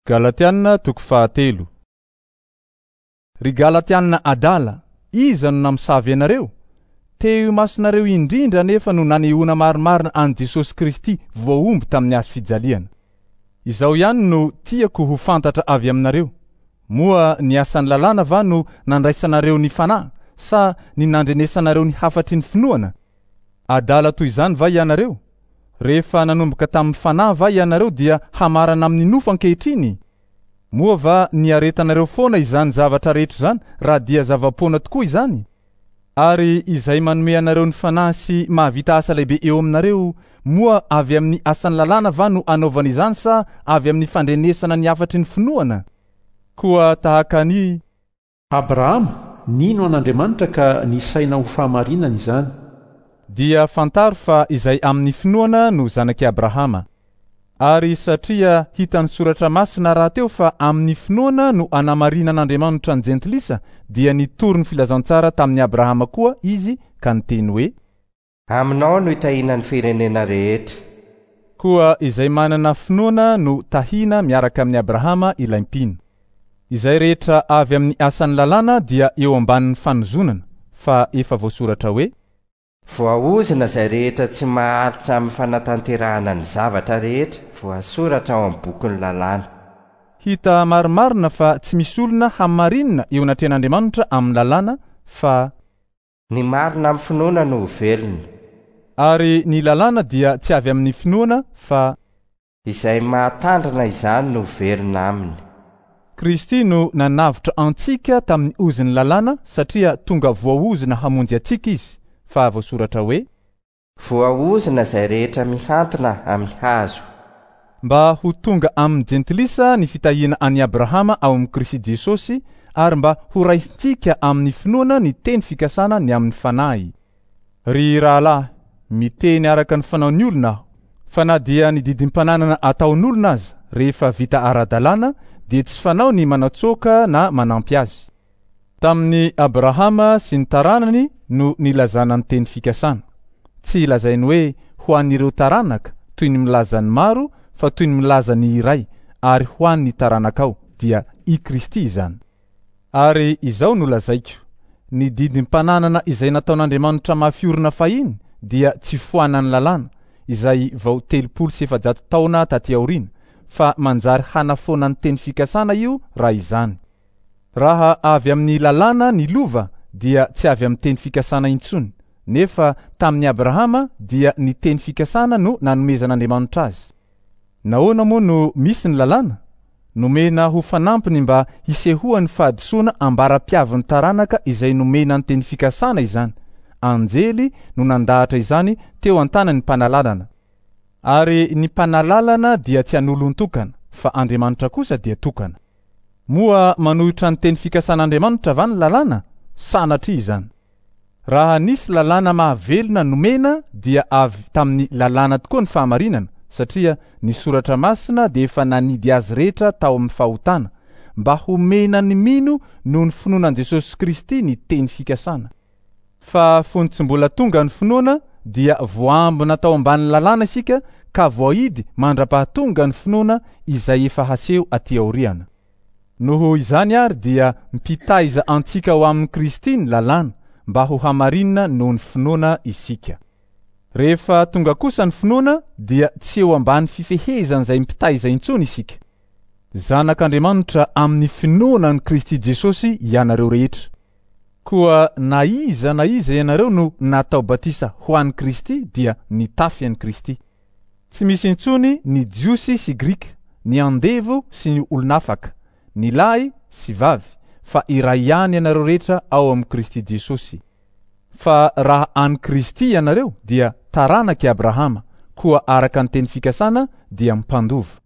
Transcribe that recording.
Galatiana toko fahatelo. Ry Galatiana adala, iza no namosavy anareo? Teo imasonareo indrindra anefa no nanehoana marimarina an'i Jesosy Kristy voahombo tamin'ny hazo fijaliana. Izao ihany no tiako ho fantatra avy aminareo, moa ny asan'ny lalàna va no nandraisanareo ny Fanahy sa ny nandrenesanareo ny hafatry ny finoana? Adala toy izany va ianareo? Rehefa nanomboka tamin'ny fanahy va ianareo dia hamarana amin'ny nofo ankehitriny? Moa va niaretanareo foana izany zavatra rehetra izany raha dia zava-poana tokoa izany? Ary izay manome anareo ny fanahy sy mahavita asa lehibe eo aminareo, moa avy amin'ny asan'ny lalàna va no anaovana izany sa avy amin'ny fandrenesana ny hafatry ny finoana? Koa tahaka an'i. Abrahama, nino an'Andriamanitra ka nisaina ho fahamarinana izany. Dia fantaro fa izay amin'ny finoana no zanak'i Abrahama. Ary satria hitan'ny Soratra Masina rahateo fa amin'ny finoana no anamarinan'Andriamanitra ny Jentilisa, dia nitory ny filazantsara tamin'i Abrahama koa izy ka niteny hoe. Aminao no hitahiana ny firenena rehetra. Koa izay manana finoana no tahina miaraka amin'i Abrahama ilay mpino. Izay rehetra avy amin'ny asan'ny lalàna dia eo ambanin'ny fanozonana, fa efa voasoratra hoe. Voaozona izay rehetra tsy maharitra amin'ny fanatanterahana ny zavatra rehetra voasoratra ao amin'ny bokin'ny lalàna. Hita marimarina fa tsy misy olona hamarinina eo anatrehan'Andriamanitra amin'ny lalàna, fa. Ny marina amin'ny finoana no ho velona. Ary ny lalàna dia tsy avy amin'ny finoana fa. Izay mahatandrina izany no velona aminy. Kristy no nanavotra antsika tamin'ny ozon'ny lalàna satria tonga voaozona hamonjy antsika Izy, fa voasoratra hoe. Voaozona izay rehetra mihantona amin'ny hazo. Mba ho tonga amin'ny Jentilisa ny fitahiana an'i Abrahama ao amin'i Kristy Jesosy ary mba horaisintsika amin'ny finoana ny teny fikasana ny amin'ny Fanahy. Ry rahalahy, miteny araka ny fanaon'ny olona aho, fa na dia ny didim-pananana ataon'olona aza, rehefa vita ara-dalàna, dia tsy fanao ny manatsoaka na manampy azy. Tamin'i Abrahama sy ny taranany no nilazana ny teny fikasana. Tsy lazainy hoe ho an'ireo taranaka, toy ny milaza ny maro, fa toy ny milaza ny iray, ary ho an'ny taranakao, dia i Kristy izany. Ary izao no lazaiko, ny didim-pananana izay nataon'Andriamanitra mafy orina fahiny dia tsy foanan'ny lalàna, izay vao 430 taona taty aoriana, fa manjary hanafoana ny teny fikasana io raha izany. Raha avy amin'ny lalàna ny lova dia tsy avy amin'ny teny fikasana intsony, nefa tamin'i Abrahama dia ny teny fikasana no nanomezan'Andriamanitra azy. Nahoana moa no misy ny lalàna? Nomena ho fanampiny mba hisehoan'ny fahadisoana ambara-piavin'ny taranaka izay nomena ny teny fikasana izany. Anjely no nandahatra izany teo an-tanan'ny mpanalalana. Ary ny mpanalalana dia tsy an'olon-tokana, fa Andriamanitra kosa dia tokana. Moa manohitra ny teny fikasan'Andriamanitra va ny lalàna? Sanatria izany! Raha nisy lalàna mahavelona nomena dia avy tamin'ny lalàna tokoa ny fahamarinana, satria ny Soratra Masina dia efa nanidy azy rehetra tao amin'ny fahotana, mba homena ny mino noho ny finoana an'i Jesosy Kristy ny teny fikasana. Fa fony tsy mbola tonga ny finoana dia voaambina tao ambanin'ny lalàna isika ka voahidy mandra-pahatonga ny finoana izay efa haseho aty aoriana. Noho izany àry dia mpitaiza antsika ho amin'i Kristy ny lalàna mba ho hamarinina noho ny finoana isika. Rehefa tonga kosa ny finoana dia tsy eo ambany fifehezan'izay mpitaiza intsony isika. Zanak'Andriamanitra amin'ny finoana an'i Kristy Jesosy ianareo rehetra. Koa na iza na iza ianareo no natao batisa ho an'i Kristy dia nitafy an'i Kristy. Tsy misy intsony ny Jiosy sy Grika, ny andevo sy ny olon'afaka, ny lahy sy vavy, fa iray ihany ianareo rehetra ao amin'i Kristy Jesosy. Fa raha an'i Kristy ianareo dia taranak'i Abrahama, koa araka ny teny fikasana dia mpandova.